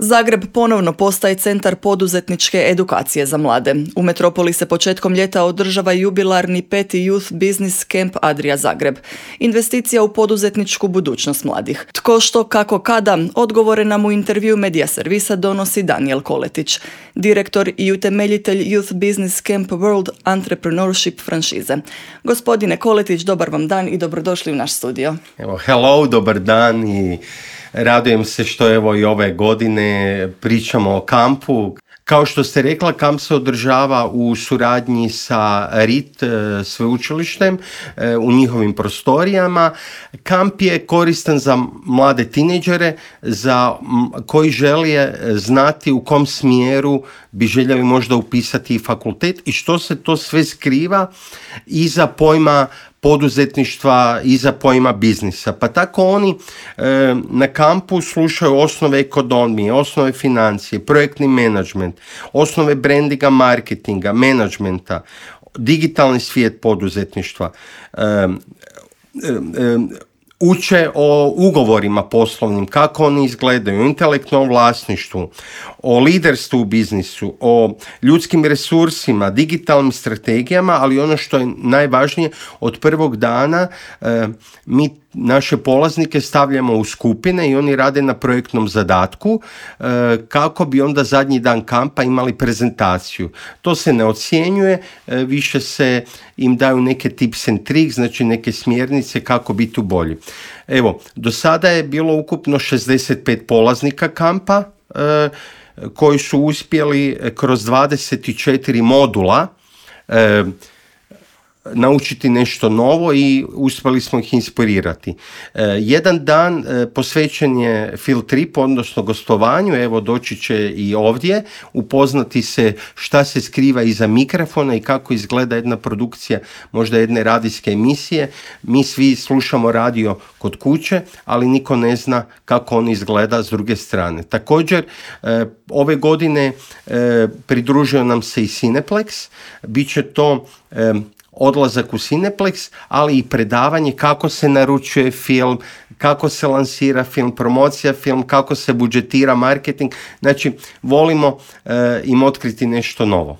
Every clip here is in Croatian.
Zagreb ponovno postaje centar poduzetničke edukacije za mlade. U metropoli se početkom ljeta održava jubilarni 5. Youth Business Camp Adria Zagreb. Investicija u poduzetničku budućnost mladih. Tko, što, kako, kada, odgovore nam u intervju Medija servisa donosi Daniel Koletić, direktor i utemeljitelj Youth Business Camp World Entrepreneurship franšize. Gospodine Koletić, dobar vam dan i dobrodošli u naš studio. Evo, hello, dobar dan i radujem se što evo i ove godine pričamo o kampu. Kao što ste rekla, kamp se održava u suradnji sa RIT sveučilištem u njihovim prostorijama. Kamp je koristan za mlade tinejdžere koji žele znati u kom smjeru bi željeli možda upisati fakultet i što se to sve skriva iza pojma poduzetništva, iza pojma biznisa. Pa tako oni na kampu slušaju osnove ekonomije, osnove financije, projektni menadžment, osnove brandinga, marketinga, menadžmenta, digitalni svijet poduzetništva, uče o ugovorima poslovnim, kako oni izgledaju, o intelektualnom vlasništvu, o liderstvu u biznisu, o ljudskim resursima, digitalnim strategijama, ali ono što je najvažnije, od prvog dana mi naše polaznike stavljamo u skupine i oni rade na projektnom zadatku kako bi onda zadnji dan kampa imali prezentaciju. To se ne ocjenjuje, više se im daju neke tips and tricks, znači neke smjernice kako biti bolji. Evo, do sada je bilo ukupno 65 polaznika kampa koji su uspjeli kroz 24 modula naučiti nešto novo i uspjeli smo ih inspirirati. Jedan dan posvećen je field trip, odnosno gostovanju, evo doći će i ovdje, upoznati se šta se skriva iza mikrofona i kako izgleda jedna produkcija, možda jedne radijske emisije. Mi svi slušamo radio kod kuće, ali niko ne zna kako on izgleda s druge strane. Također, ove godine pridružio nam se i Cineplex, bit će to odlazak u Cineplex, ali i predavanje kako se naručuje film, kako se lansira film, promocija film, kako se budžetira marketing. Znači, volimo im otkriti nešto novo.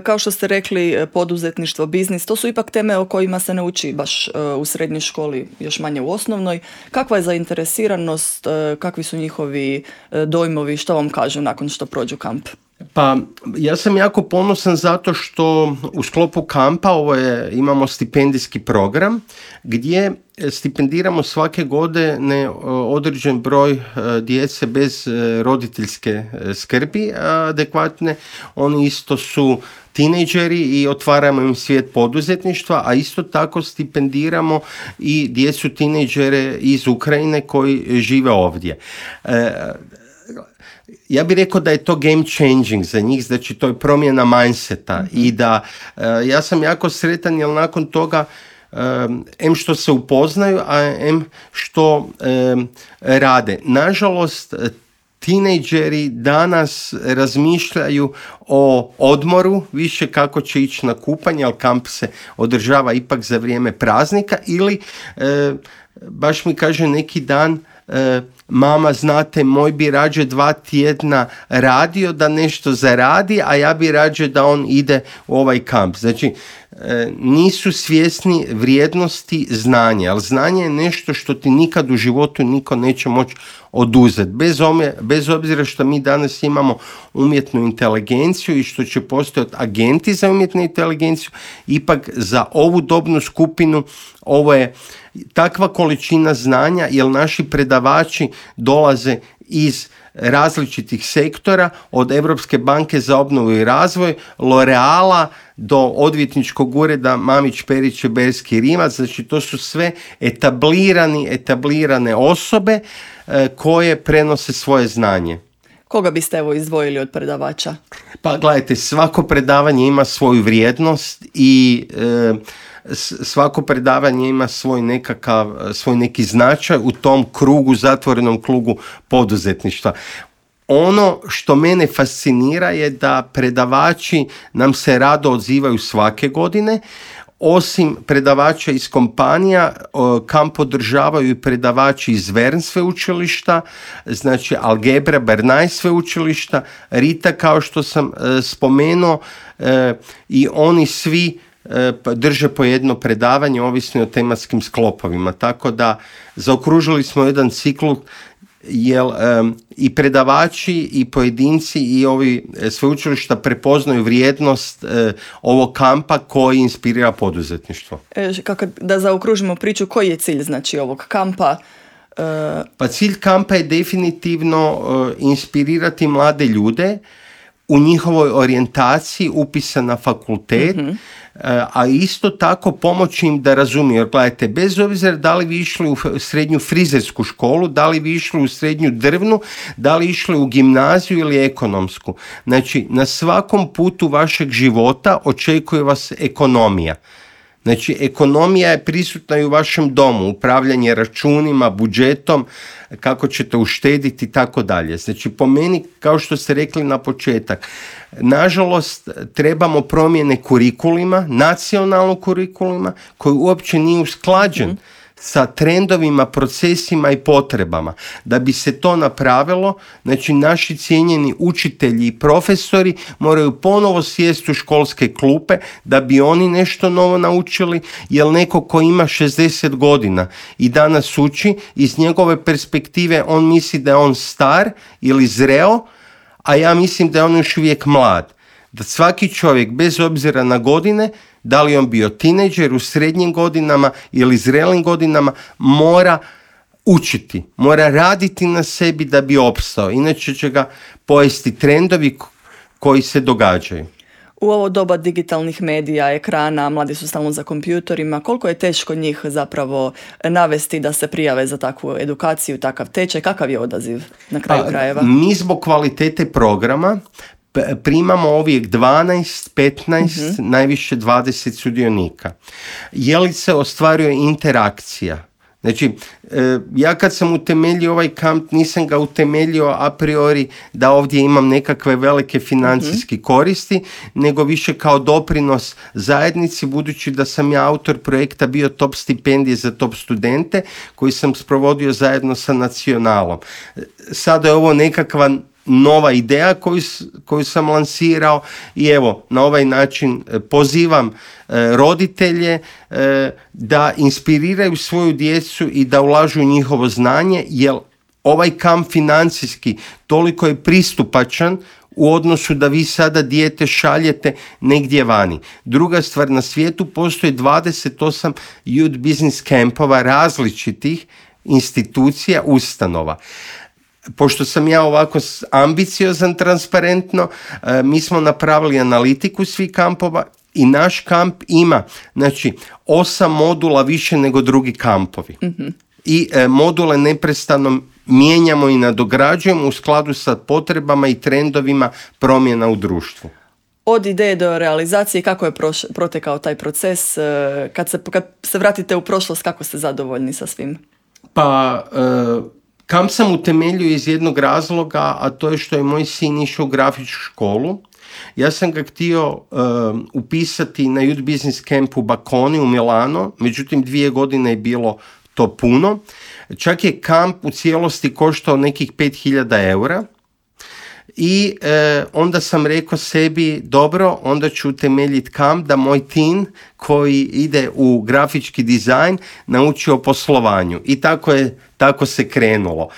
Kao što ste rekli, poduzetništvo, biznis, to su ipak teme o kojima se ne uči baš u srednjoj školi, još manje u osnovnoj. Kakva je zainteresiranost, kakvi su njihovi dojmovi, što vam kažu nakon što prođu kamp? Pa ja sam jako ponosan zato što u sklopu kampa imamo stipendijski program gdje stipendiramo svake godine određen broj djece bez roditeljske skrbi adekvatne. Oni isto su tinejdžeri i otvaramo im svijet poduzetništva, a isto tako stipendiramo i djecu tinejdžere iz Ukrajine koji žive ovdje. Ja bih rekao da je to game changing za njih, znači to je promjena mindseta i da ja sam jako sretan jer nakon toga em što se upoznaju, a em što rade. Nažalost, tinejdžeri danas razmišljaju o odmoru, više kako će ići na kupanje, ali kamp se održava ipak za vrijeme praznika ili baš mi kaže neki dan, mama, znate, moj bi rađe 2 tjedna radio da nešto zaradi, a ja bi rađe da on ide u ovaj kamp. Znači, nisu svjesni vrijednosti znanja, ali znanje je nešto što ti nikad u životu niko neće moći oduzeti. Bez obzira što mi danas imamo umjetnu inteligenciju i što će postojati agenti za umjetnu inteligenciju, ipak za ovu dobnu skupinu ovo je takva količina znanja, jer naši predavači dolaze iz različitih sektora, od Europske banke za obnovu i razvoj, L'Oreala do odvjetničkog ureda Mamić, Perić, Berski, Rimac. Znači to su sve etablirane osobe koje prenose svoje znanje. Koga biste izdvojili od predavača? Pa gledajte, svako predavanje ima svoju vrijednost i svako predavanje ima svoj neki značaj u tom krugu, zatvorenom krugu poduzetništva. Ono što mene fascinira je da predavači nam se rado odzivaju svake godine. osim predavača iz kompanija, kamp održavaju i predavači iz Vern sveučilišta, znači Algebra, Bernay sveučilišta, Rita kao što sam spomenuo, i oni svi drže po jedno predavanje ovisno o tematskim sklopovima. Tako da zaokružili smo jedan ciklus jer i predavači i pojedinci i ovi sveučilišta prepoznaju vrijednost ovog kampa koji inspirira poduzetništvo. Kako da zaokružimo priču, koji je cilj znači ovog kampa? Pa cilj kampa je definitivno inspirirati mlade ljude u njihovoj orijentaciji upisa na fakultet, a isto tako pomoći im da razumiju. Jer gledajte, bez obzira da li vi išli u srednju frizersku školu, da li vi išli u srednju drvnu, da li išli u gimnaziju ili ekonomsku. Znači, na svakom putu vašeg života očekuje vas ekonomija. Znači, ekonomija je prisutna i u vašem domu, upravljanje računima, budžetom, kako ćete uštediti i tako dalje. Znači, po meni, kao što ste rekli na početak, nažalost, trebamo promjene kurikulima, nacionalnog kurikulima, koji uopće nije usklađen sa trendovima, procesima i potrebama. Da bi se to napravilo, znači naši cijenjeni učitelji i profesori moraju ponovo sjesti u školske klupe da bi oni nešto novo naučili, jer neko ko ima 60 godina i danas uči, iz njegove perspektive on misli da je on star ili zreo, a ja mislim da je on još uvijek mlad. Da svaki čovjek, bez obzira na godine, da li on bio tinejdžer u srednjim godinama ili zrelim godinama, mora učiti, mora raditi na sebi da bi opstao. Inače će ga pojesti trendovi koji se događaju. U ovo doba digitalnih medija, ekrana, mladi su stalno za kompjutorima, koliko je teško njih zapravo navesti da se prijave za takvu edukaciju, takav tečaj, kakav je odaziv na kraju krajeva? Mi zbog kvalitete programa primamo uvijek 12, 15, najviše 20 sudionika. Je li se ostvaruje interakcija? Znači, ja kad sam utemeljio ovaj kamp, nisam ga utemeljio a priori da ovdje imam nekakve velike financijske koristi, nego više kao doprinos zajednici, budući da sam ja autor projekta bio Top stipendije za top studente, koji sam sprovodio zajedno sa Nacionalom. Sada je ovo nekakva nova ideja koju sam lansirao i evo, na ovaj način pozivam roditelje da inspiriraju svoju djecu i da ulažu u njihovo znanje, jer ovaj kamp financijski toliko je pristupačan u odnosu da vi sada dijete šaljete negdje vani. Druga stvar, na svijetu postoji 28 youth business campova različitih institucija, ustanova. Pošto sam ja ovako ambiciozan, transparentno, mi smo napravili analitiku svih kampova i naš kamp ima, znači, 8 modula više nego drugi kampovi. I module neprestano mijenjamo i nadograđujemo u skladu sa potrebama i trendovima promjena u društvu. Od ideje do realizacije, kako je protekao taj proces? Kad se vratite u prošlost, kako ste zadovoljni sa svim? Pa... Kamp sam utemeljio iz jednog razloga, a to je što je moj sin išao u grafičku školu. Ja sam ga htio upisati na Youth Business Camp u Baconi u Milano, međutim 2 godine je bilo to puno. Čak je kamp u cijelosti koštao nekih 5.000 eura. I onda sam rekao sebi, dobro, onda ću utemeljiti kamp da moj tin koji ide u grafički dizajn nauči o poslovanju. I tako se krenulo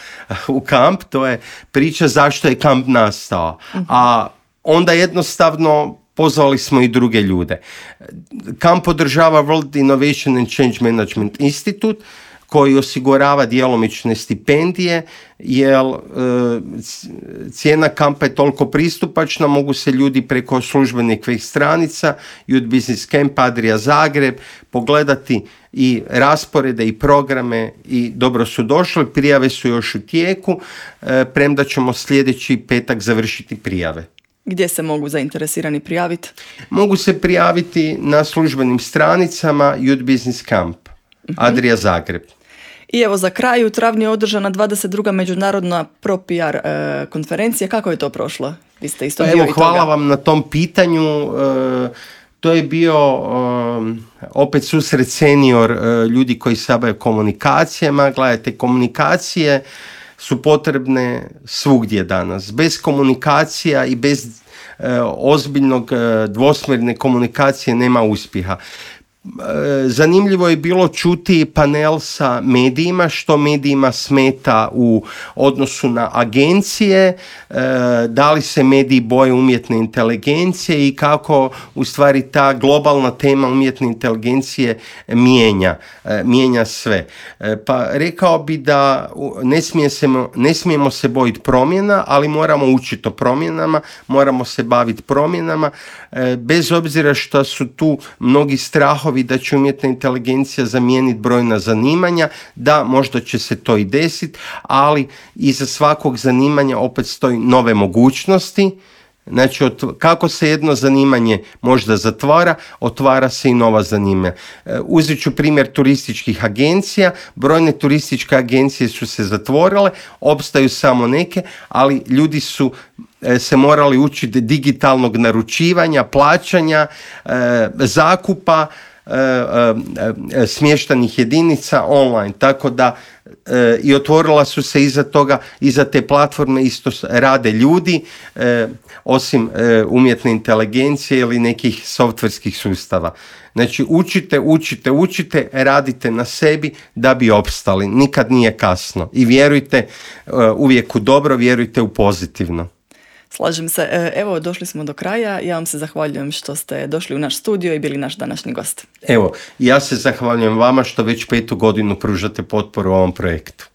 u kamp. To je priča zašto je kamp nastao. A onda jednostavno pozvali smo i druge ljude. Kamp podržava World Innovation and Change Management Institute, koji osigurava djelomične stipendije, jer cijena kampa je toliko pristupačna, mogu se ljudi preko službenih web stranica Youth Business Camp Adria Zagreb pogledati i rasporede i programe i dobro su došli, prijave su još u tijeku, premda ćemo sljedeći petak završiti prijave. Gdje se mogu zainteresirani prijaviti? Mogu se prijaviti na službenim stranicama Youth Business Camp Adria Zagreb. I evo za kraj, u travnju je održana 22. međunarodna ProPR konferencija. Kako je to prošlo? Vi ste isto dio i toga. Hvala vam na tom pitanju. To je bio opet susret senior ljudi koji se bave komunikacijama. Gledajte, komunikacije su potrebne svugdje danas. Bez komunikacija i bez ozbiljnog dvosmjerne komunikacije nema uspjeha. Zanimljivo je bilo čuti panel sa medijima, što medijima smeta u odnosu na agencije, da li se mediji boje umjetne inteligencije i kako u stvari ta globalna tema umjetne inteligencije mijenja sve. Pa rekao bi da ne smijemo se bojiti promjena, ali moramo učiti o promjenama, moramo se baviti promjenama, bez obzira što su tu mnogi strahovi da će umjetna inteligencija zamijeniti brojna zanimanja, da možda će se to i desiti, ali iza svakog zanimanja opet stoji nove mogućnosti. Znači, kako se jedno zanimanje možda zatvara, otvara se i nova zanimanja. Uzet ću primjer turističkih agencija. Brojne turističke agencije su se zatvorile, opstaju samo neke, ali ljudi su se morali učiti digitalnog naručivanja, plaćanja, zakupa, smještanih jedinica online, tako da i otvorila su se iza toga, iza te platforme isto rade ljudi, osim umjetne inteligencije ili nekih softverskih sustava. Znači učite, radite na sebi da bi opstali. Nikad nije kasno. I vjerujte uvijek u dobro, vjerujte u pozitivno. Slažem se. Evo, došli smo do kraja. Ja vam se zahvaljujem što ste došli u naš studio i bili naš današnji gost. Evo, ja se zahvaljujem vama što već 5. godinu pružate potporu ovom projektu.